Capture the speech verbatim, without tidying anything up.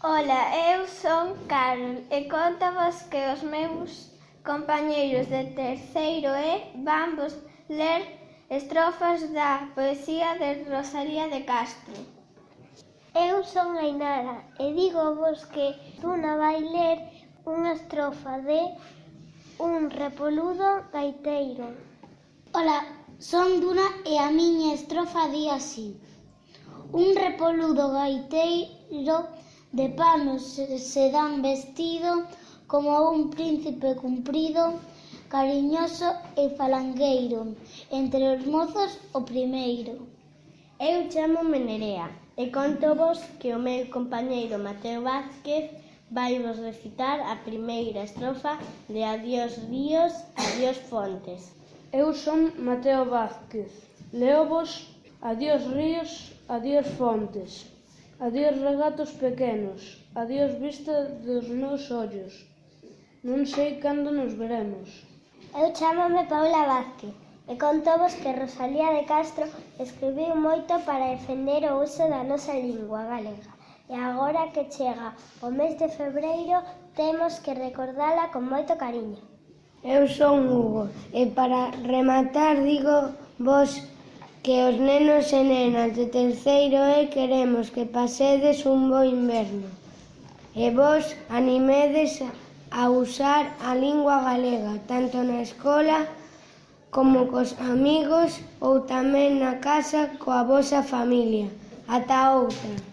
Ola, eu son Carol e contavos que os meus compañeiros de terceiro E van vos ler estrofas da poesía de Rosalía de Castro. Eu son Ainara e dígovos que Duna vai ler unha estrofa de Un repoludo gaiteiro. Ola, son Duna e a miña estrofa di así: Un repoludo gaiteiro de panos se dan vestido como un príncipe cumprido, cariñoso e falangueiro, entre os mozos o primeiro. Eu chámome Nerea e contovos que o meu compañeiro Mateo Vázquez vai vos recitar a primeira estrofa de Adiós ríos, adiós fontes. Eu son Mateo Vázquez, leovos adiós ríos, adiós fontes, adiós regatos pequenos, adiós vista dos meus ollos. Non sei cando nos veremos. Eu chámome Paula Vázquez e contovos que Rosalía de Castro escribiu moito para defender o uso da nosa lingua galega. E agora que chega o mes de febreiro, temos que recordala con moito cariño. Eu son Hugo e para rematar digo vos que os nenos e nenas de terceiro E queremos que pasedes un bo inverno e vos animedes a usar a lingua galega tanto na escola como cos amigos ou tamén na casa coa vosa familia. Ata outra!